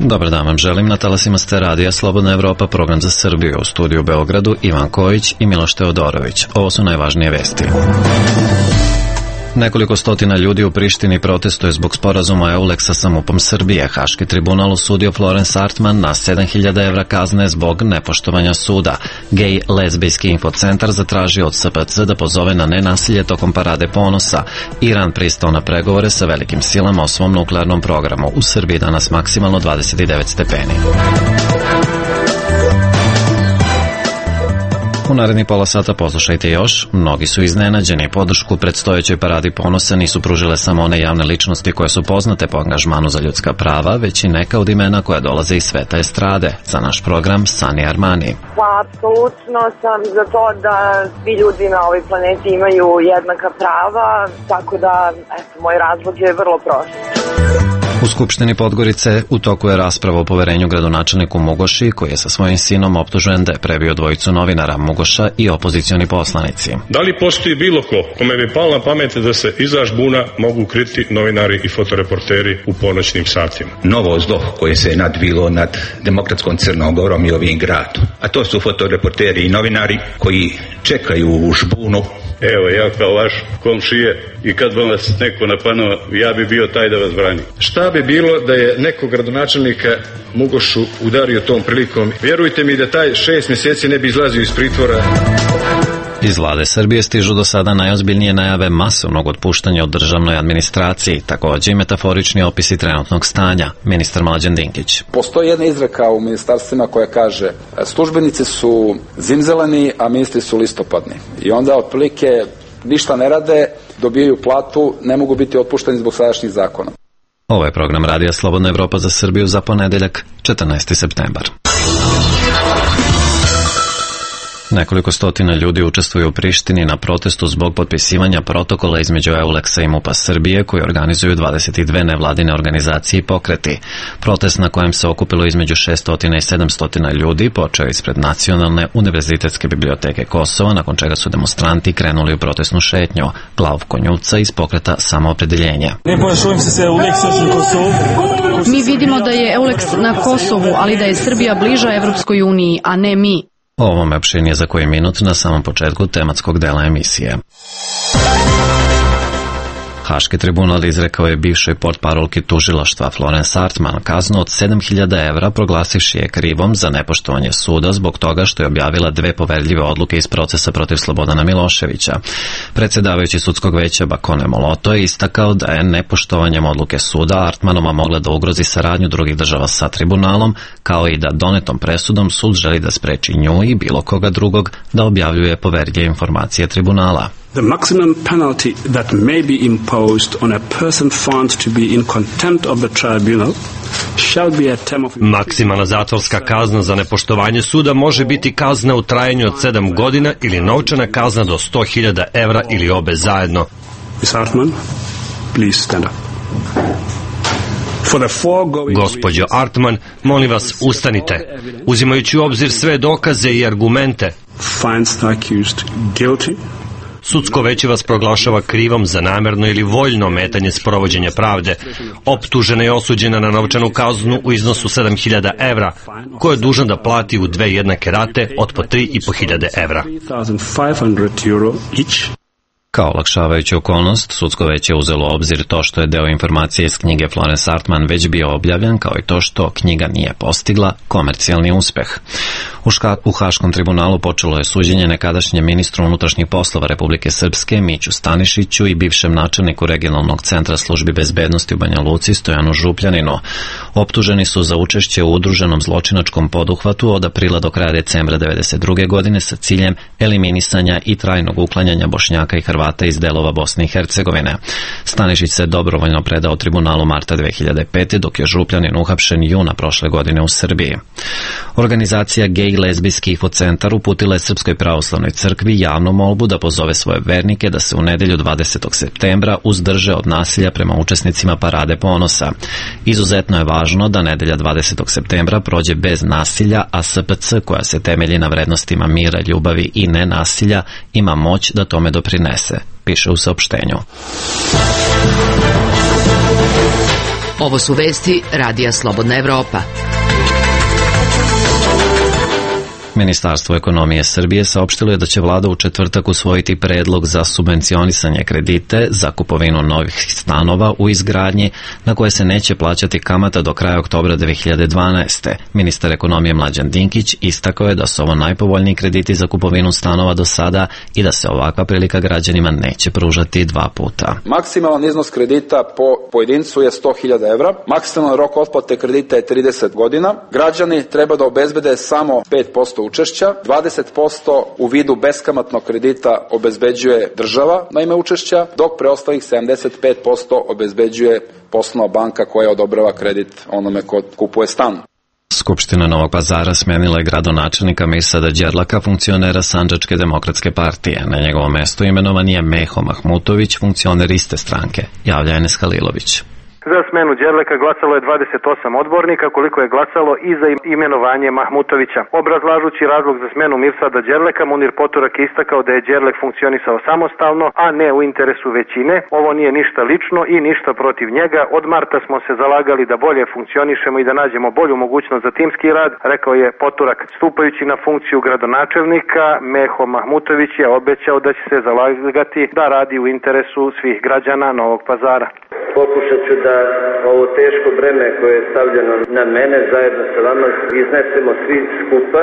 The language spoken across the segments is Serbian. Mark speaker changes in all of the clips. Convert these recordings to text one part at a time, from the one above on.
Speaker 1: Dobar dan vam želim, na talasima ste radija Slobodna Evropa, program za Srbiju, u studiju u Beogradu Ivan Kojić i Miloš Teodorović. Ovo su najvažnije vesti. Nekoliko stotina ljudi u Prištini protestuje zbog sporazuma EULEX-a sa MUP-om Srbije. Haški tribunal osudio Florence Artman na 7.000 evra kazne zbog nepoštovanja suda. Gej lezbijski infocentar zatražio od SPC da pozove na nenasilje tokom parade ponosa. Iran pristao na pregovore sa velikim silama o svom nuklearnom programu. U Srbiji danas maksimalno 29 stepeni. U naredni pola sata poslušajte još. Mnogi su iznenađeni. Podršku predstojećoj paradi ponosa nisu pružile samo one javne ličnosti koje su poznate po angažmanu za ljudska prava, već i neka od imena koja dolaze iz sveta estrade. Za naš program Sani Armani.
Speaker 2: Pa, apsolutno sam za to da svi ljudi na ovoj planeti imaju jednaka prava, tako da, moj razlog je vrlo prost.
Speaker 1: U Skupštini Podgorice u toku je rasprava o poverenju gradonačelniku Mugoši, koji je sa svojim sinom optužen da je prebio dvojicu novinara, Mugoša i opozicioni poslanici.
Speaker 3: Da li postoji bilo ko kome bi palo na pamet da se iza žbuna mogu kriti novinari i fotoreporteri u ponoćnim satima?
Speaker 4: Novo zlo koje se je nadvilo nad demokratskom Crnom Gorom i ovim gradom. A to su fotoreporteri i novinari koji čekaju u žbunu.
Speaker 5: Evo, ja kao vaš komšije i kad vam vas neko napadne, ja bi bio taj da vas brani.
Speaker 6: Šta bi bilo da je neko gradonačelnika Mugošu udario tom prilikom? Vjerujte mi da taj 6 mjeseci ne bi izlazio iz pritvora.
Speaker 1: Iz vlade Srbije stižu do sada najozbiljnije najave masovnog otpuštanja u državnoj administraciji, također i metaforični opisi trenutnog stanja. Ministar Mlađan Dinkić.
Speaker 7: Postoji jedna izreka u ministarstvima koja kaže službenici su zimzeleni, a ministri su listopadni. I onda otprilike ništa ne rade, dobijaju platu, ne mogu biti otpušteni zbog sadašnjih zakona.
Speaker 1: Ovo je program Radija Slobodna Evropa za Srbiju za ponedeljak, 14. septembar. Nekoliko stotina ljudi učestvuju u Prištini na protestu zbog potpisivanja protokola između EULEX-a i MUP-a Srbije, koji organizuju 22 nevladine organizacije i pokreti. Protest na kojem se okupilo između 600 i 700 ljudi počeo ispred Nacionalne univerzitetske biblioteke Kosova, nakon čega su demonstranti krenuli u protestnu šetnju. Glavko Njuvca iz pokreta Samoopredeljenje.
Speaker 8: Mi vidimo da je EULEX na Kosovu, ali da je Srbija bliža Evropskoj uniji, a ne mi.
Speaker 1: O ovome opširnije za koji minut na samom početku tematskog dela emisije. Haški tribunal izrekao je bivšoj portparolki tužilaštva Florence Artman kaznu od 7.000 evra, proglasivši je krivom za nepoštovanje suda zbog toga što je objavila 2 poverljive odluke iz procesa protiv Slobodana Miloševića. Predsjedavajući sudskog veća Bakone Moloto je istakao da je nepoštovanjem odluke suda Artmanova mogla da ugrozi saradnju drugih država sa tribunalom, kao i da donetom presudom sud želi da spreči nju i bilo koga drugog da objavljuje poverljive informacije tribunala.
Speaker 9: The maximum penalty that may be imposed on a person found to be in contempt of the tribunal shall be a term of...
Speaker 10: Maksimalna zatvorska kazna za nepoštovanje suda može biti kazna u trajanju od 7 godina ili novčana kazna do 100.000 evra ili obe zajedno.
Speaker 9: Ms. Artman, please stand up.
Speaker 10: Gospođo Artman, molim vas, ustanite. Uzimajući u obzir sve dokaze i argumente,
Speaker 9: finds the accused guilty.
Speaker 10: Sudsko veće vas proglašava krivom za namerno ili voljno ometanje sprovođenja pravde. Optužena je osuđena na novčanu kaznu u iznosu 7.000 evra, koju je dužan da plati u 2 jednake rate od po 3.500 evra.
Speaker 1: Kao olakšavajuću okolnost, sudsko veće je uzelo u obzir to što je deo informacije iz knjige Florence Artman već bio objavljen, kao i to što knjiga nije postigla komercijalni uspeh. U Haškom tribunalu počelo je suđenje nekadašnjem ministru unutrašnjih poslova Republike Srpske Miću Stanišiću i bivšem načelniku regionalnog centra službi bezbednosti u Banja Luci Stojanu Župljaninu. Optuženi su za učešće u udruženom zločinačkom poduhvatu od aprila do kraja decembra 1992. godine sa ciljem eliminisanja i trajnog uklanjanja Bošnjaka i Hrvata iz delova Bosne i Hercegovine. Stanišić se dobrovoljno predao tribunalu marta 2005. dok je Župljanin uhapšen juna prošle godine u Srbiji. Organizacija Gej lezbijski infocentar uputila je Srpskoj pravoslavnoj crkvi javnu molbu da pozove svoje vernike da se u nedelju 20. septembra uzdrže od nasilja prema učesnicima parade ponosa. Izuzetno je važno da nedelja 20. septembra prođe bez nasilja, a SPC, koja se temelji na vrednostima mira, ljubavi i nenasilja, ima moć da tome doprinese, piše u saopštenju.
Speaker 11: Ovo su vesti Radija Slobodna Evropa.
Speaker 1: Ministarstvo ekonomije Srbije saopštilo je da će vlada u četvrtak usvojiti predlog za subvencionisanje kredite za kupovinu novih stanova u izgradnji na koje se neće plaćati kamata do kraja oktobra 2012. Ministar ekonomije Mlađan Dinkić istakao je da su ovo najpovoljniji krediti za kupovinu stanova do sada i da se ovakva prilika građanima neće pružati dva puta.
Speaker 7: Maksimalan iznos kredita po pojedincu je 100.000 evra, maksimalan rok otplate kredita je 30 godina. Građani treba da obezbede samo 5% učešća, 20% u vidu beskamatnog kredita obezbeđuje država na ime učešća, dok preostalih 75% obezbeđuje poslovna banka koja odobrava kredit onome ko kupuje stan.
Speaker 1: Skupština Novog Pazara smenila je gradonačelnika Mirsada Đerlaka, funkcionera Sandžačke demokratske partije. Na njegovom mestu imenovan je Meho Mahmutović, funkcioner iste stranke, javlja Enes Halilović.
Speaker 12: Za smenu Đerleka glasalo je 28 odbornika, koliko je glasalo i za imenovanje Mahmutovića. Obrazlažući razlog za smenu Mirsada Đerleka, Munir Poturak je istakao da je Đerlek funkcionisao samostalno, a ne u interesu većine. Ovo nije ništa lično i ništa protiv njega. Od marta smo se zalagali da bolje funkcionišemo i da nađemo bolju mogućnost za timski rad, rekao je Poturak. Stupajući na funkciju gradonačelnika, Meho Mahmutović je obećao da će se zalagati da radi u interesu svih građana Novog Pazara.
Speaker 13: Pokušat ću da ovo teško breme koje je stavljeno na mene zajedno sa vama iznesemo svi skupa.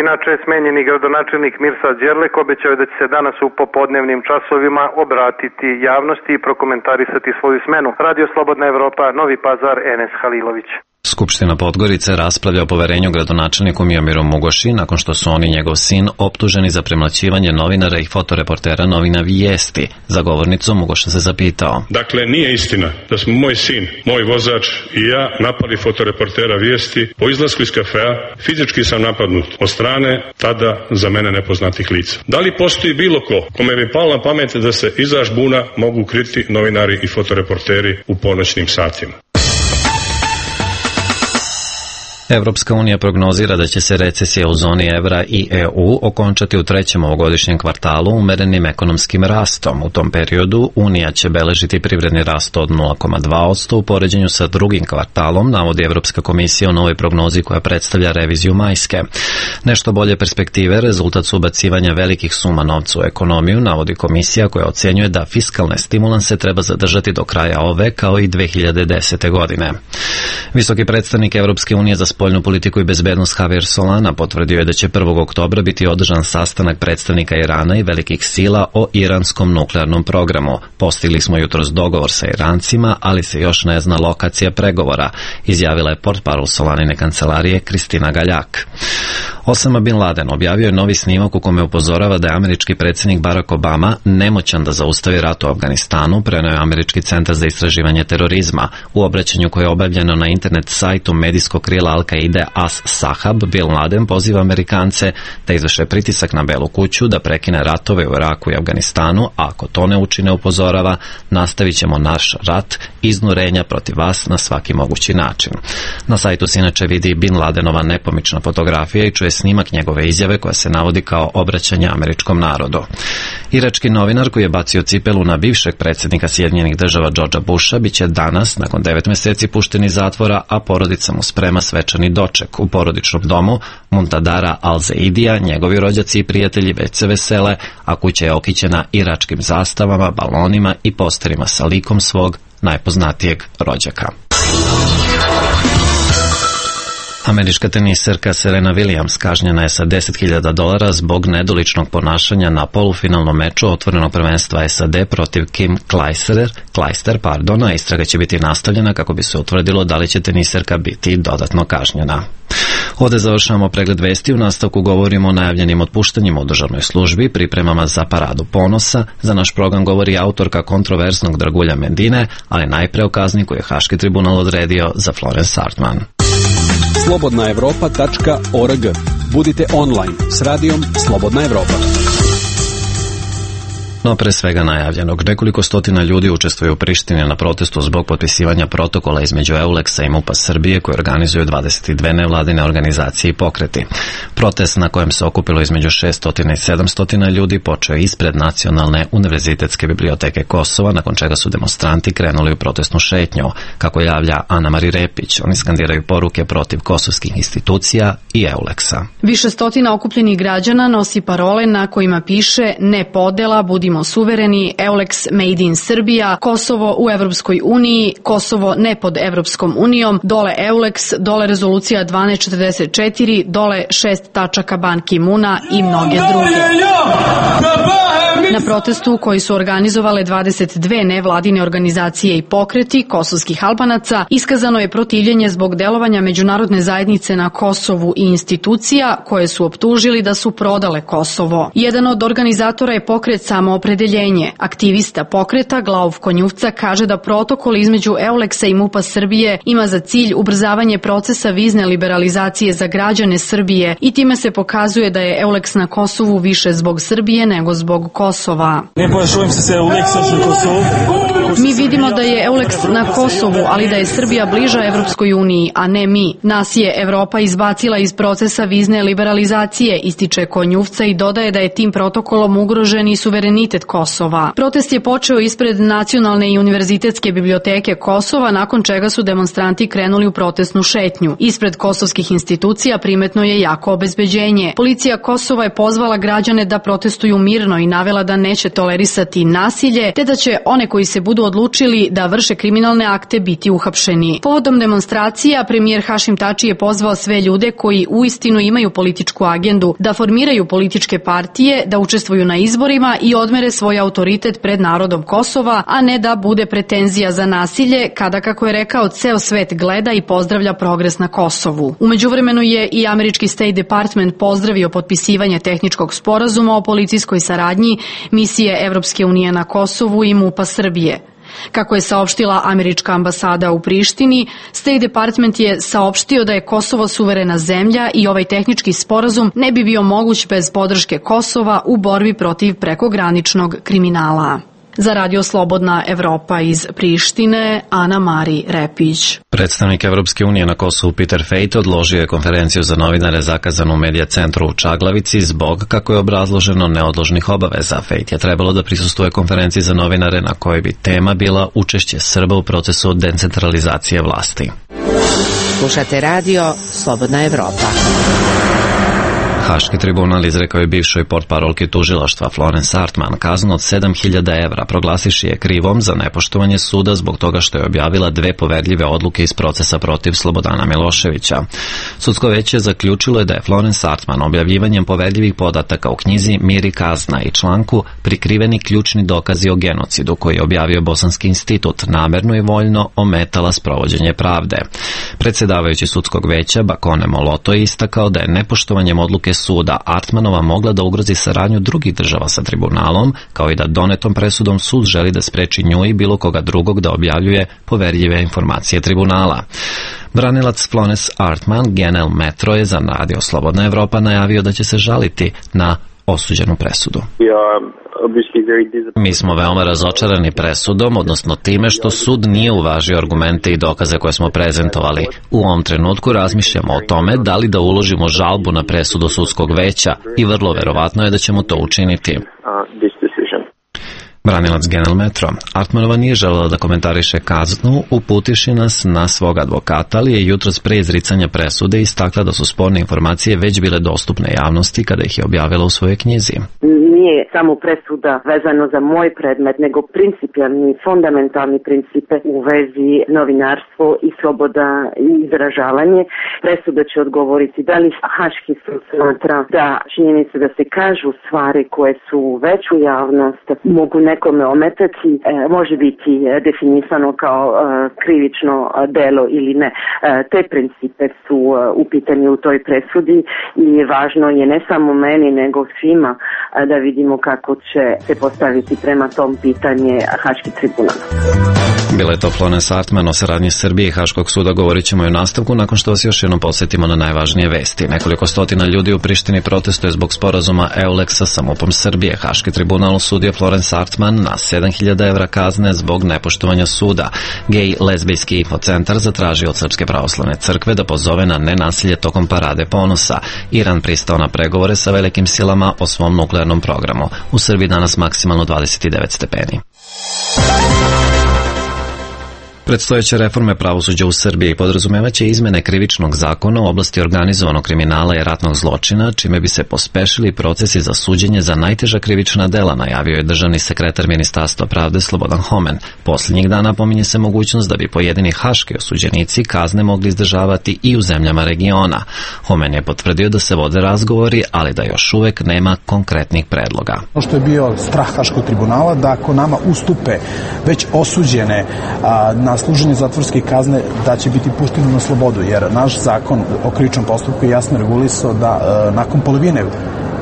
Speaker 12: Inače, smenjeni gradonačelnik Mirsad Đerlek obećao je da će se danas u popodnevnim časovima obratiti javnosti i prokomentarisati svoju smenu. Radio Slobodna Evropa, Novi Pazar, Enes Halilović.
Speaker 1: Skupština Podgorice raspravlja o poverenju gradonačelniku Mijomiru Mugoši nakon što su on i njegov sin optuženi za premlaćivanje novinara i fotoreportera novina Vijesti. Za govornicom Mugoša se zapitao.
Speaker 3: Dakle, nije istina da smo moj sin, moj vozač i ja napali fotoreportera Vijesti. Po izlasku iz kafea fizički sam napadnut od strane tada za mene nepoznatih lica. Da li postoji bilo ko kome bi palo na pamet da se iza žbuna mogu kriti novinari i fotoreporteri u ponoćnim satima?
Speaker 1: Evropska unija prognozira da će se recesija u zoni evra i EU okončati u trećem ovogodišnjem kvartalu umerenim ekonomskim rastom. U tom periodu Unija će beležiti privredni rast od 0,2% u poređenju sa drugim kvartalom, navodi Evropska komisija u novoj prognozi koja predstavlja reviziju majske. Nešto bolje perspektive rezultat su ubacivanja velikih suma novca u ekonomiju, navodi komisija koja ocenjuje da fiskalne stimulanse treba zadržati do kraja ove kao i 2010. godine. Visoki predstavnik Evropske unije za spoljnu politiku i bezbednost Javier Solana potvrdio je da će 1. oktobra biti održan sastanak predstavnika Irana i velikih sila o iranskom nuklearnom programu. Postigli smo jutros dogovor sa Irancima, ali se još ne zna lokacija pregovora, izjavila je portparol Solanine kancelarije Kristina Galjak. Osama Bin Laden objavio je novi snimak u kome upozorava da je američki predsjednik Barack Obama nemoćan da zaustavi rat u Afganistanu, preneo je Američki centar za istraživanje terorizma. U obraćanju koje je objavljeno na internet sajtu medijskog krila Al-Qaide As-Sahab, Bin Laden poziva Amerikance da izvrše pritisak na Belu kuću da prekine ratove u Iraku i Afganistanu, a ako to ne učine, upozorava, nastavit ćemo naš rat iznurenja protiv vas na svaki mogući način. Na sajtu se inače vidi Bin Ladenova nepomična fotografija i čuje snimak njegove izjave koja se navodi kao obraćanje američkom narodu. Irački novinar koji je bacio cipelu na bivšeg predsjednika Sjedinjenih Država Georgea Busha biće danas, nakon 9 meseci, pušten iz zatvora, a porodica mu sprema svečani doček. U porodičnom domu Muntadara Al-Zaidija njegovi rođaci i prijatelji već se vesele, a kuća je okićena iračkim zastavama, balonima i posterima sa likom svog najpoznatijeg rođaka. Američka teniserka Serena Williams kažnjena je sa $10.000 zbog nedoličnog ponašanja na polufinalnom meču otvorenog prvenstva SAD protiv Kim Clijster, a istraga će biti nastavljena kako bi se utvrdilo da li će teniserka biti dodatno kažnjena. Ovdje završavamo pregled vesti, u nastavku govorimo o najavljenim otpuštanjima u državnoj službi, pripremama za paradu ponosa, za naš program govori autorka kontroverznog Dragulja Mendine, ali najpre o kazni koju je Haški tribunal odredio za Florence Sartman.
Speaker 14: slobodnaevropa.org. Budite online s radijom Slobodna Evropa.
Speaker 1: No pre svega najavljenog, nekoliko stotina ljudi učestvuje u Prištini na protestu zbog potpisivanja protokola između EULEX-a i MUP-a Srbije koje organizuju 22 nevladine organizacije i pokreti. Protest na kojem se okupilo između 600 i 700 ljudi počeo ispred Nacionalne univerzitetske biblioteke Kosova, nakon čega su demonstranti krenuli u protestnu šetnju. Kako javlja Ana-Mari Repić, oni skandiraju poruke protiv kosovskih institucija i EULEX-a.
Speaker 8: Više stotina okupljenih građana nosi parole na kojima piše "Ne podela, budimo suvereni", EULEX Made in Srbija, Kosovo u Evropskoj uniji, Kosovo ne pod Evropskom unijom, dole EULEX, dole rezolucija 1244, dole 6 tačaka Ban Ki-muna i mnoge druge. Na protestu koji su organizovale 22 nevladine organizacije i pokreti kosovskih Albanaca iskazano je protivljenje zbog delovanja međunarodne zajednice na Kosovu i institucija koje su optužili da su prodale Kosovo. Jedan od organizatora je pokret Samoopredeljenje. Aktivista pokreta Glauf Konjuvca kaže da protokol između EULEX-a i MUP-a Srbije ima za cilj ubrzavanje procesa vizne liberalizacije za građane Srbije i time se pokazuje da je EULEX na Kosovu više zbog Srbije nego zbog Kosova. Mi vidimo da je EULEX na Kosovu, ali da je Srbija bliža Evropskoj uniji, a ne mi. Nas je Evropa izbacila iz procesa vizne liberalizacije, ističe Konjuvca i dodaje da je tim protokolom ugrožen i suverenitet Kosova. Protest je počeo ispred Nacionalne i univerzitetske biblioteke Kosova, nakon čega su demonstranti krenuli u protestnu šetnju. Ispred kosovskih institucija primetno je jako obezbeđenje. Policija Kosova je pozvala građane da protestuju mirno i navela da neće tolerisati nasilje, te da će one koji se budu odlučili da vrše kriminalne akte biti uhapšeni. Povodom demonstracija, premijer Hašim Tači je pozvao sve ljude koji uistinu imaju političku agendu da formiraju političke partije, da učestvuju na izborima i odmere svoj autoritet pred narodom Kosova, a ne da bude pretenzija za nasilje kada, kako je rekao, ceo svet gleda i pozdravlja progres na Kosovu. U međuvremenu je i američki State Department pozdravio potpisivanje tehničkog sporazuma o policijskoj saradnji misije Evropske unije na Kosovu i MUP-a Srbije. Kako je saopštila američka ambasada u Prištini, State Department je saopštio da je Kosovo suverena zemlja i ovaj tehnički sporazum ne bi bio moguć bez podrške Kosova u borbi protiv prekograničnog kriminala. Za Radio Slobodna Evropa iz Prištine, Ana-Mari Repić.
Speaker 1: Predstavnik Evropske unije na Kosovu Peter Fejt odložio je konferenciju za novinare zakazanu u Medija centru u Čaglavici zbog, kako je obrazloženo, neodložnih obaveza. Fejt je trebalo da prisustvuje konferenciji za novinare na kojoj bi tema bila učešće Srba u procesu decentralizacije vlasti.
Speaker 11: Slušate Radio Slobodna Evropa.
Speaker 1: Haški tribunal izrekao je bivšoj portparolki tužilaštva Florence Hartman kaznu od 7.000 evra, proglasivši je krivom za nepoštovanje suda zbog toga što je objavila 2 poverljive odluke iz procesa protiv Slobodana Miloševića. Sudsko veće zaključilo je da je Florence Hartman objavljivanjem poverljivih podataka u knjizi Mir i kazna i članku Prikriveni ključni dokazi o genocidu koji je objavio Bosanski institut namerno i voljno ometala sprovođenje pravde. Predsjedavajući sudskog veća Bakone Moloto je istakao da je nepoštovanjem odluke suda Hartmanova mogla da ugrozi saradnju drugih država sa tribunalom, kao i da donetom presudom sud želi da spreči nju i bilo koga drugog da objavljuje poverljive informacije tribunala. Branilac Florence Hartman, Genel Metro, je za Radio Slobodna Evropa najavio da će se žaliti na osuđenu presudu. Mi smo veoma razočarani presudom, odnosno time što sud nije uvažio argumente i dokaze koje smo prezentovali. U ovom trenutku razmišljamo o tome da li da uložimo žalbu na presudu sudskog veća i vrlo verovatno je da ćemo to učiniti. Branilac Genel Metro. Hartmanova nije želela da komentariše kaznu, uputivši nas na svog advokata, ali je jutros pre izricanja presude istakla da su sporne informacije već bile dostupne javnosti kada ih je objavila u svojoj knjizi.
Speaker 14: Nije samo presuda vezano za moj predmet, nego principijalni, fundamentalni principe u vezi novinarstvo i sloboda i izražavanje. Presuda će odgovoriti da li Haški sud smatra da činjenice da se kažu stvari koje su već u javnost mogu nekome ometati, može biti definisano kao krivično delo ili ne. Te principe su u pitanju u toj presudi i važno je ne samo meni nego svima da vidimo kako će se postaviti prema tom pitanje Haški tribunal.
Speaker 1: Bila je to Florence Hartman. O saradnji Srbije i Haškog suda govorit ćemo i u nastavku nakon što vas još jednom podsjetimo na najvažnije vesti. Nekoliko stotina ljudi u Prištini protestuje zbog sporazuma EULEX-a sa MUP-om Srbije. Haški tribunal osudio Florence Hartman na 7.000 evra kazne zbog nepoštovanja suda. Gej lezbijski infocentar zatražio od Srpske pravoslavne crkve da pozove na nenasilje tokom parade ponosa. Iran pristao na pregovore sa velikim silama o svom nuklearnom programu. U Srbiji danas maksimalno 29 stepeni. Predstojeće reforme pravosuđa u Srbiji podrazumevaće izmene krivičnog zakona u oblasti organizovanog kriminala i ratnog zločina, čime bi se pospešili procesi za suđenje za najteža krivična dela, najavio je državni sekretar Ministarstva pravde Slobodan Homen. Posljednjih dana pominje se mogućnost da bi pojedini haški osuđenici kazne mogli izdržavati i u zemljama regiona. Homen je potvrdio da se vode razgovori, ali da još uvek nema konkretnih predloga.
Speaker 15: Ono što je bio strah Haškog tribunala, da ako nama ustupe već osuđene na služenje zatvorske kazne, da će biti pušteni na slobodu, jer naš zakon o krivičnom postupku je jasno regulisao da nakon polovine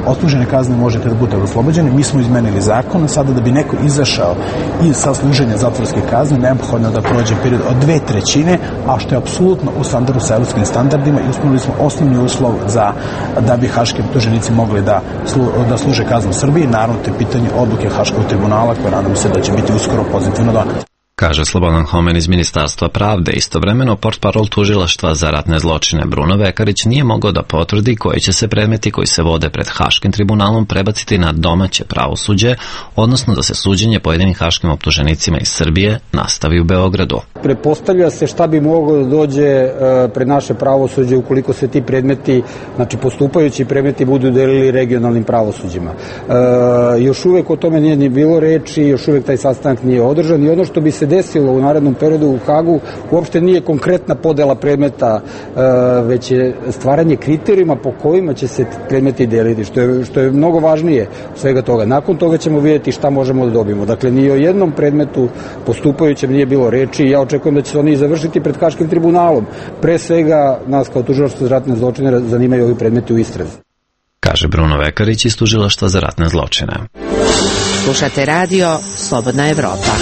Speaker 15: odslužene kazne možete da budete oslobođeni. Mi smo izmenili zakon, sada da bi neko izašao iz sa služenja zatvorske kazne, neophodno da prođe period od 2/3, a što je apsolutno u standardu sa evropskim standardima, i ispunili smo osnovni uslov da bi haški optuženici mogli da služe kaznu u Srbiji. Naravno, to je pitanje odluke Haškog tribunala, koje nadam se da će biti uskoro pozitivno doneta,
Speaker 1: kaže Slobodan Homen iz Ministarstva pravde. Istovremeno, portparol tužilaštva za ratne zločine Bruno Vekarić nije mogao da potvrdi koji će se predmeti koji se vode pred Haškim tribunalom prebaciti na domaće pravosuđe, odnosno da se suđenje pojedinim haškim optuženicima iz Srbije nastavi u Beogradu.
Speaker 16: Pretpostavlja se šta bi moglo da dođe pred naše pravosuđe ukoliko se ti predmeti, znači postupajući predmeti, budu delili regionalnim pravosuđima. Još uvek o tome nije ni bilo reči, još uvek taj sastanak nije održan, i ono što bi se desilo u narednom periodu u Hagu uopšte nije konkretna podela predmeta, već je stvaranje kriterijuma po kojima će se predmeti deliti, što je mnogo važnije svega toga. Nakon toga ćemo vidjeti šta možemo da dobijemo. Dakle, ni o jednom predmetu postupajućem nije bilo reči, i ja očekujem da će se oni završiti pred Haškim tribunalom. Pre svega, nas kao tužilaštvo za ratne zločine zanimaju ovi predmeti u istrazi,
Speaker 1: kaže Bruno Vekarić iz Tužilaštva za ratne zločine.
Speaker 11: Slušate radio Slobodna Evropa.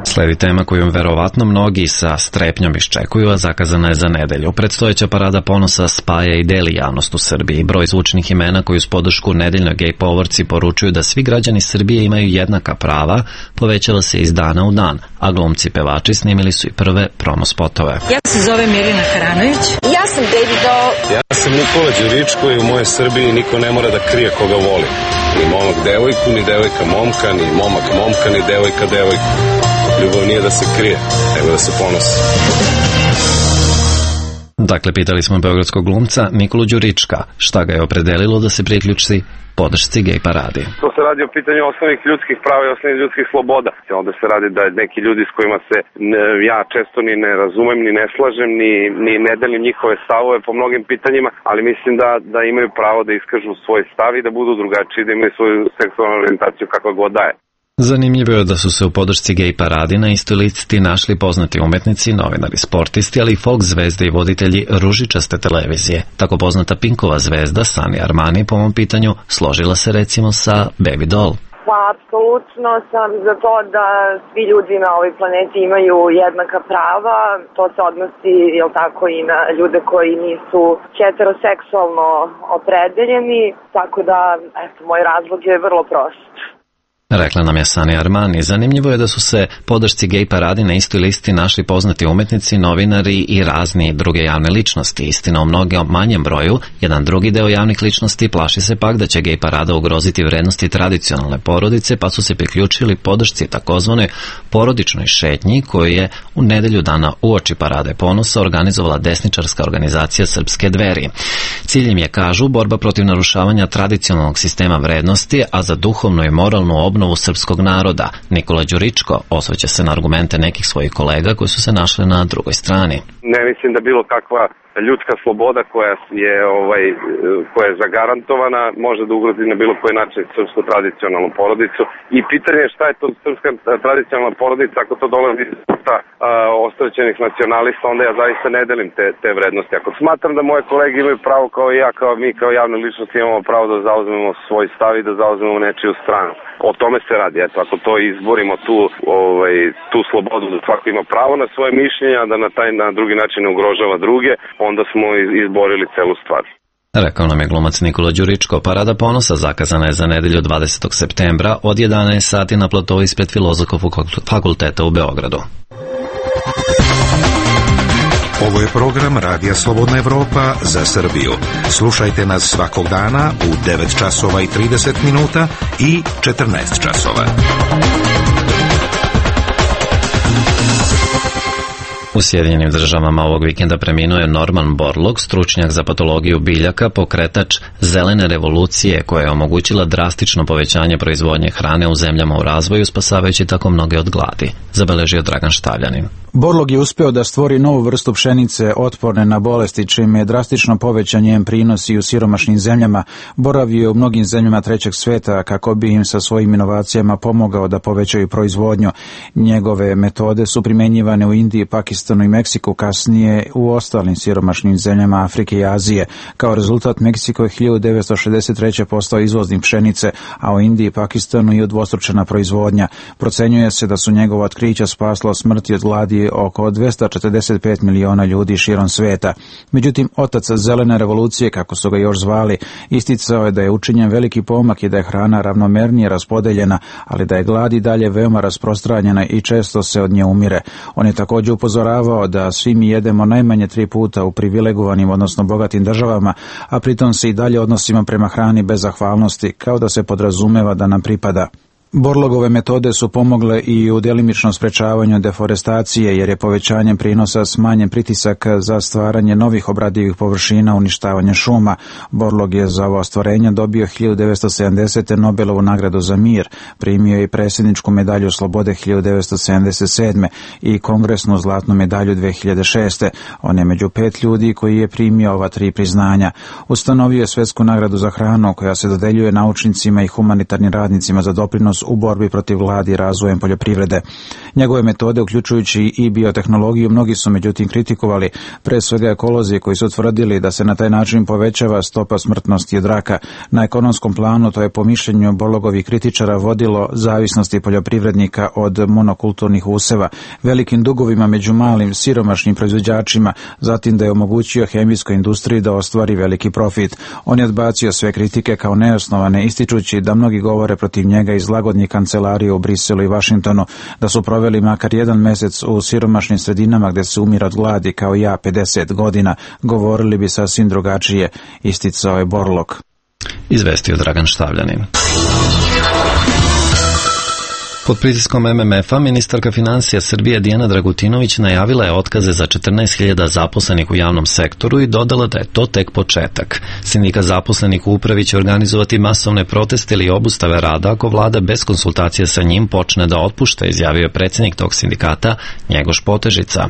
Speaker 1: Sledi tema koju verovatno mnogi sa strepnjom iščekuju, a zakazana je za nedelju. Predstojeća parada ponosa spaja i deli javnost u Srbiji. Broj zvučnih imena koji uz podršku nedeljnoj gej povorci poručuju da svi građani Srbije imaju jednaka prava povećava se iz dana u dan, a glumci pevači snimili su i prve promo spotove.
Speaker 17: Ja se zovem Mirina Haranović.
Speaker 18: Ja sam Baby Doll.
Speaker 19: Ja sam Nikola Đuričko i u mojoj Srbiji niko ne mora da krije koga voli. Ni momak devojku, ni devojka momka, ni momak momka, ni devojka devojku. Ljubav nije da se krije, nego da se ponosi.
Speaker 1: Dakle, pitali smo beogradskog glumca Nikolu Đurička šta ga je opredelilo da se priključi podršci gej paradi.
Speaker 20: To se radi o pitanju osnovnih ljudskih prava i osnovnih ljudskih sloboda. Onda se radi da neki ljudi s kojima se ja često ni ne razumem, ni ne slažem, ni ne delim njihove stavove po mnogim pitanjima, ali mislim da imaju pravo da iskažu svoj stav i da budu drugačiji, da imaju svoju seksualnu orijentaciju kakva god daje.
Speaker 1: Zanimljivo je da su se u podršci gej paradi na istoj listi našli poznati umetnici, novinari, sportisti, ali i folk zvezde i voditelji ružičaste televizije. Tako poznata Pinkova zvezda Sani Armani po ovom pitanju složila se recimo sa Baby Doll.
Speaker 2: Pa, apsolutno sam za to da svi ljudi na ovoj planeti imaju jednaka prava. To se odnosi, jel tako, i na ljude koji nisu heteroseksualno opredeljeni. Tako da, eto, moj razlog je vrlo prost.
Speaker 1: Rekla nam je Sani Armani. Zanimljivo je da su se podršci gej paradi na istoj listi našli poznati umetnici, novinari i razni druge javne ličnosti. Istina, u mnogo manjem broju, jedan drugi deo javnih ličnosti plaši se pak da će gej parada ugroziti vrednosti tradicionalne porodice, pa su se priključili podršci takozvanoj porodičnoj šetnji koju je u nedelju dana uoči parade ponosa organizovala desničarska organizacija Srpske dveri. Cilj im je, kažu, borba protiv narušavanja tradicionalnog sistema vrednosti, a za duhovnu i moralnu obnovu srpskog naroda. Nikola Đuričko osvrće se na argumente nekih svojih kolega koji su se našli na drugoj strani.
Speaker 20: Ne mislim da bilo kakva ljudska sloboda koja je zagarantovana može da ugrozi na bilo koji način srpsku tradicionalnu porodicu. I pitanje je šta je to srpska tradicionalna porodica ako to dolazi sa ostraćenih nacionalista, onda ja zaista ne delim te vrednosti. Ako smatram da moje kolege imaju pravo kao i ja, kao mi, kao javne ličnosti imamo pravo da zauzmemo svoj stav i da zauzmemo nečiju stranu. O tome se radi. Eto, ako to izborimo tu slobodu da svako ima pravo na svoje mišljenja, da na drugi način ne ugrožava druge, onda smo izborili celu stvar.
Speaker 1: Rekao nam je glumac Nikola Đuričko. Parada ponosa zakazana je za nedelju 20. septembra od 11 sati na platovu ispred Filozofskog fakulteta u Beogradu.
Speaker 21: Ovo je program Radija Slobodna Evropa za Srbiju. Slušajte nas svakog dana u 9 časova i 30 minuta i 14 časova.
Speaker 1: U Sjedinjenim Državama ovog vikenda preminuo je Norman Borlaug, stručnjak za patologiju biljaka, pokretač zelene revolucije koja je omogućila drastično povećanje proizvodnje hrane u zemljama u razvoju, spasavajući tako mnoge od gladi, zabeležio Dragan Štavljanin.
Speaker 22: Borlaug je uspeo da stvori novu vrstu pšenice otporne na bolesti, čime je drastično povećan njen prinos i u siromašnim zemljama. Boravio je u mnogim zemljama trećeg sveta kako bi im sa svojim inovacijama pomogao da povećaju proizvodnju. Njegove metode su primenjivane u Indiji, Pakistanu i Meksiku, kasnije u ostalim siromašnim zemljama Afrike i Azije. Kao rezultat, Meksiko je 1963. postao izvoznik pšenice, a u Indiji i Pakistanu je udvostručena proizvodnja. Procenjuje se da su njegova otkrića spasla smrti od gladi oko 245 miliona ljudi širom sveta. Međutim, otac zelene revolucije, kako su ga još zvali, isticao je da je učinjen veliki pomak i da je hrana ravnomernije raspodeljena, ali da je glad i dalje veoma rasprostranjena i često se od nje umire. On je također upozoravao da svi mi jedemo najmanje 3 puta u privilegovanim, odnosno bogatim državama, a pritom se i dalje odnosimo prema hrani bez zahvalnosti, kao da se podrazumeva da nam pripada. Borlaugove metode su pomogle i u delimičnom sprečavanju deforestacije, jer je povećanjem prinosa smanjen pritisak za stvaranje novih obradivih površina, uništavanje šuma. Borlaug je za ovo ostvarenje dobio 1970. Nobelovu nagradu za mir, primio je i predsjedničku medalju slobode 1977. i kongresnu zlatnu medalju 2006. On je među 5 ljudi koji je primio ova 3 priznanja. Ustanovio je svetsku nagradu za hranu koja se dodeljuje naučnicima i humanitarnim radnicima za doprinos u borbi protiv gladi i razvojem poljoprivrede. Njegove metode, uključujući i biotehnologiju, mnogi su međutim kritikovali, pre svega ekolozi koji su tvrdili da se na taj način povećava stopa smrtnosti od raka. Na ekonomskom planu to je po mišljenju Borlaugovih kritičara vodilo zavisnosti poljoprivrednika od monokulturnih useva, velikim dugovima među malim siromašnim proizvođačima, zatim da je omogućio hemijskoj industriji da ostvari veliki profit. On je odbacio sve kritike kao neosnovane, ističući da mnogi govore protiv njega iz lagodnih kancelarija u Briselu i Vašingtonu, da su proveli makar 1 mesec u siromašnim sredinama gde se umire od gladi kao ja 50 godina, govorili bi sasvim drugačije, isticao je Borlaug.
Speaker 1: Izvestio Dragan Štavljanin. Pod pritiskom MMF-a, ministarka financija Srbije Dijana Dragutinović najavila je otkaze za 14.000 zaposlenih u javnom sektoru i dodala da je to tek početak. Sindikat zaposlenih u upravi će organizovati masovne proteste ili obustave rada ako vlada bez konsultacija sa njim počne da otpušta, izjavio je predsjednik tog sindikata Njegoš Potežica.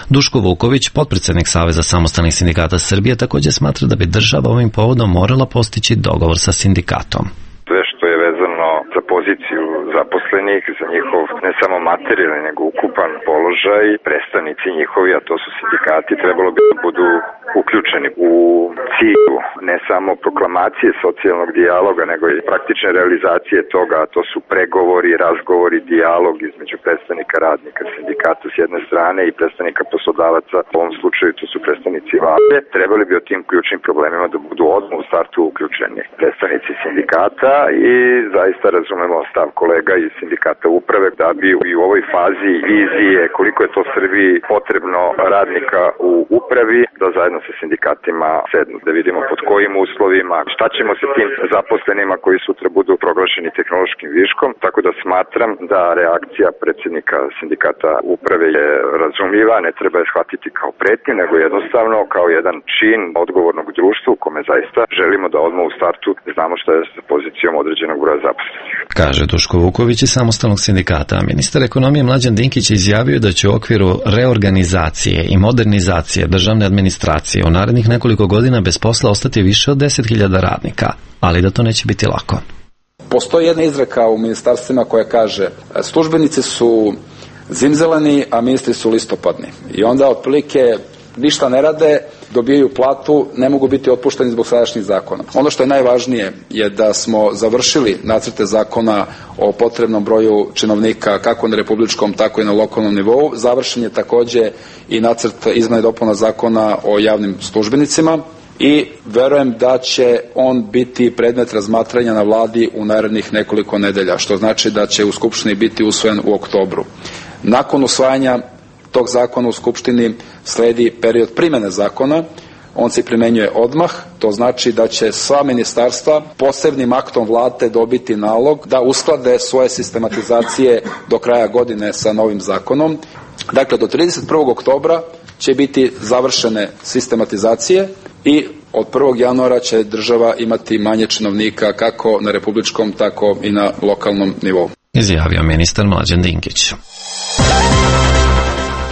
Speaker 1: Duško Vuković, potpredsjednik Saveza samostalnih sindikata Srbije, također smatra da bi država ovim povodom morala postići dogovor sa sindikatom.
Speaker 23: Sve što je vezano za poziciju zaposlenih, za njihov ne samo materijalni nego ukupan položaj, predstavnici njihovi, a to su sindikati, trebalo bi da budu uključeni u cilju ne samo proklamacije socijalnog dijaloga, nego i praktične realizacije toga, a to su pregovori, razgovori, dijalog između predstavnika radnika sindikata s jedne strane i predstavnika poslodavaca, u ovom slučaju to su predstavnici vlade. Trebali bi o tim ključnim problemima da budu odmah u startu uključeni predstavnici sindikata i zaista razumemo stav kolega iz sindikata uprave da bi i u ovoj fazi vizije koliko je to Srbiji potrebno radnika u upravi, da zajedno sa sindikatima sednu, da vidimo pod kojim uslovima, šta ćemo sa tim zaposlenima koji sutra budu proglašeni tehnološkim viškom, tako da smatram da reakcija predsjednika sindikata uprave je razumljiva, ne treba je shvatiti kao pretnju, nego jednostavno kao jedan čin odgovornog društva u kome zaista želimo da odmah u startu znamo šta je sa pozicijom određenog broja zaposlenih.
Speaker 1: kaže Duško Vuković iz Samostalnog sindikata. Ministar ekonomije Mlađan Dinkić je izjavio da će u okviru reorganizacije i modernizacije državne administracije u narednih nekoliko godina bez posla ostati više od 10.000 radnika, ali da to neće biti lako.
Speaker 7: Postoji jedna izreka u ministarstvima koja kaže službenici su zimzeleni, a ministri su listopadni. I onda otprilike ništa ne rade, dobijaju platu, ne mogu biti otpušteni zbog sadašnjih zakona. Ono što je najvažnije je da smo završili nacrte zakona o potrebnom broju činovnika kako na republičkom, tako i na lokalnom nivou. Završen je takođe i nacrt izmena i dopuna zakona o javnim službenicima i verujem da će on biti predmet razmatranja na vladi u narednih nekoliko nedelja, što znači da će u Skupštini biti usvojen u oktobru. Nakon usvajanja tog zakona u Skupštini sledi period primene zakona, on se primenjuje odmah, to znači da će sva ministarstva posebnim aktom vlade dobiti nalog da usklade svoje sistematizacije do kraja godine sa novim zakonom. Dakle, do 31. oktobra će biti završene sistematizacije i od 1. januara će država imati manje činovnika kako na republičkom, tako i na lokalnom nivou.
Speaker 1: Izjavio ministar Mlađan Dinkić.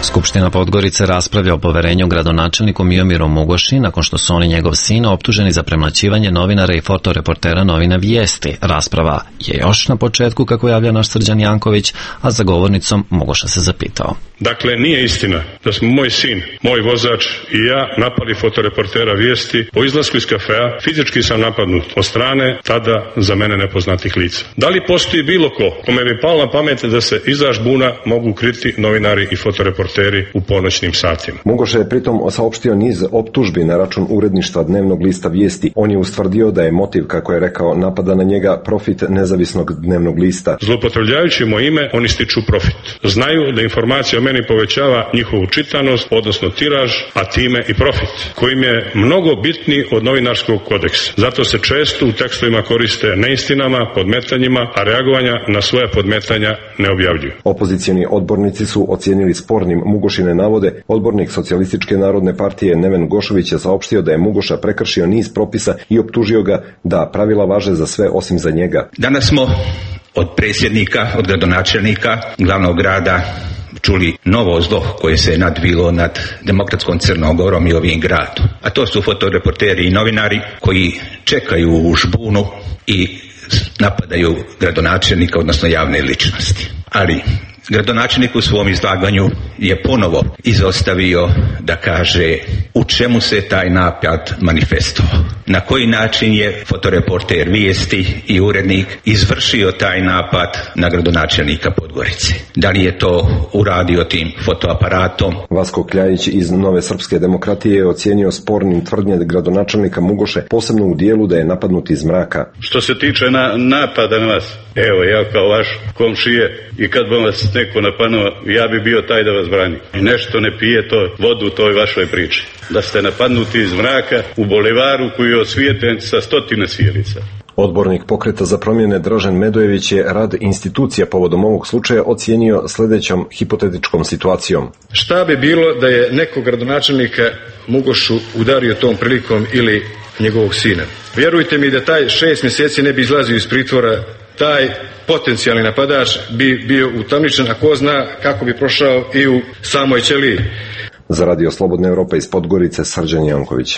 Speaker 1: Skupština Podgorice raspravlja o poverenju gradonačelniku Miomiru Mugoši nakon što su on i njegov sin optuženi za premlaćivanje novinara i fotoreportera novina Vijesti. Rasprava je još na početku, kako javlja naš Srđan Janković, a za govornicom Mugoša se zapitao.
Speaker 3: Dakle, nije istina da smo moj sin, moj vozač i ja napali fotoreportera Vijesti. Po izlasku iz kafea fizički sam napadnut od strane tada za mene nepoznatih lica. Da li postoji bilo ko kome bi palo na pamet da se iza žbuna mogu kriti novinari i fotoreporteri u ponoćnim satima?
Speaker 4: Mugoša je pritom saopštio niz optužbi na račun uredništva dnevnog lista Vijesti. On je ustvrdio da je motiv, kako je rekao, napada na njega profit nezavisnog dnevnog lista.
Speaker 3: Zloupotrebljavajući moje ime, oni stiču profit. Znaju da informacija o meni povećava njihovu čitanost, odnosno tiraž, a time i profit, kojim je mnogo bitniji od novinarskog kodeksa. Zato se često u tekstovima koriste neistinama, podmetanjima, a reagovanja na svoja podmetanja ne objavljuju.
Speaker 4: Opozicioni odbornici su ocijenili spornim Mugošine navode. Odbornik Socijalističke narodne partije Neven Gošović je saopštio da je Mugoša prekršio niz propisa i optužio ga da pravila važe za sve osim za njega.
Speaker 5: Danas smo od predsjednika, od gradonačelnika glavnog grada čuli novo zlo koje se je nadvilo nad demokratskom Crnogorom i ovim gradom. A to su fotoreporteri i novinari koji čekaju u žbunu i napadaju gradonačelnika, odnosno javne ličnosti. Ali gradonačelnik u svom izlaganju je ponovo izostavio da kaže u čemu se taj napad manifestovao. Na koji način je fotoreporter Vijesti i urednik izvršio taj napad na gradonačelnika Podgorice. Da li je to uradio tim fotoaparatom?
Speaker 4: Vasko Kljajić iz Nove srpske demokratije je ocijenio spornim tvrdnje gradonačelnika Mugoše, posebno u dijelu da je napadnut iz mraka.
Speaker 3: Što se tiče napada na vas, evo ja kao vaš komšije i kad bi vas neko napadnuo, ja bi bio taj da vas brani. Nešto ne pije to vodu u toj vašoj priči. Da ste napadnuti iz mraka u bulevaru koji je osvijetljen sa 100 svijelica.
Speaker 4: Odbornik Pokreta za promjene Dražen Medojević je rad institucija povodom ovog slučaja ocijenio sljedećom hipotetičkom situacijom.
Speaker 6: Šta bi bilo da je nekog gradonačelnika Mugošu udario tom prilikom ili njegovog sina? Vjerujte mi da taj 6 mjeseci ne bi izlazio iz pritvora, taj potencijalni napadač bi bio utamničen, a ko zna kako bi prošao i u samoj ćeliji.
Speaker 4: Za Radio Slobodna Evropa iz Podgorice, Srđan Janković.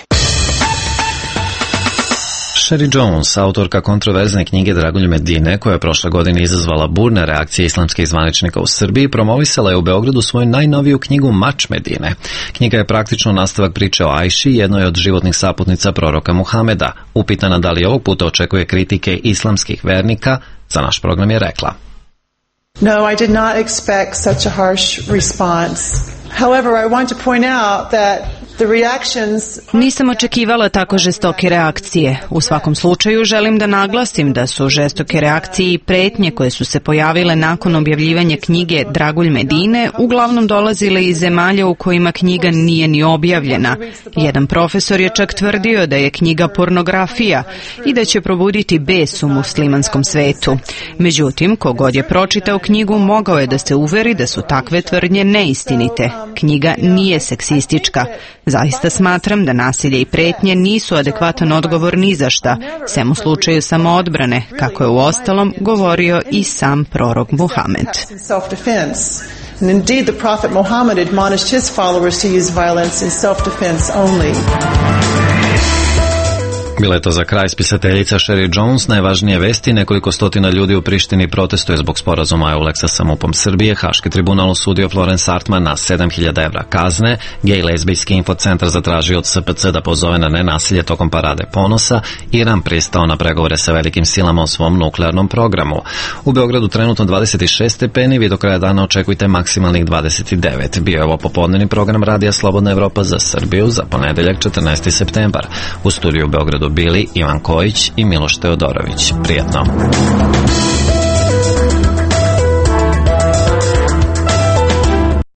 Speaker 1: Sherry Jones, autorka kontroverzne knjige Dragulj Medine, koja je prošle godine izazvala burne reakcije islamskih zvaničnika u Srbiji, promovisala je u Beogradu svoju najnoviju knjigu Mač Medine. Knjiga je praktično nastavak priče o Ajši, jednoj od životnih saputnica proroka Muhameda. Upitana da li ovog puta očekuje kritike islamskih vernika, za naš program je rekla:
Speaker 24: No, I did not expect such a harsh response. However, I want to point out that
Speaker 25: nisam očekivala tako žestoke reakcije. U svakom slučaju želim da naglasim da su žestoke reakcije i pretnje koje su se pojavile nakon objavljivanja knjige Dragulj Medine uglavnom dolazile iz zemalja u kojima knjiga nije ni objavljena. Jedan profesor je čak tvrdio da je knjiga pornografija i da će probuditi bes u muslimanskom svetu. Međutim, kogod je pročitao knjigu mogao je da se uveri da su takve tvrdnje neistinite. Knjiga nije seksistička. Zaista smatram da nasilje i pretnje nisu adekvatan odgovor ni za šta, sem u slučaju samoodbrane, kako je uostalom govorio i sam prorok Muhamed.
Speaker 24: And indeed, the Prophet Muhammad admonished his followers to use violence in self-defense only.
Speaker 1: Bila je to za kraj spisateljica Sherry Jones. Najvažnije vesti: nekoliko stotina ljudi u Prištini protestuje zbog sporazuma EULEX-a sa MUP-om Srbije. Haški tribunal osudio Florence Artman na 7.000 evra kazne. Gej lezbijski infocentar zatražio od SPC da pozove na nenasilje tokom parade ponosa. Iran pristao na pregovore sa velikim silama o svom nuklearnom programu. U Beogradu trenutno 26 stepeni, vi do kraja dana očekujte maksimalnih 29. Bio je ovo popodnevni program Radija Slobodna Evropa za Srbiju za ponedeljak 14. septembar. U studiju u Beogradu bili Ivan Kojić i Miloš Teodorović. Prijetno.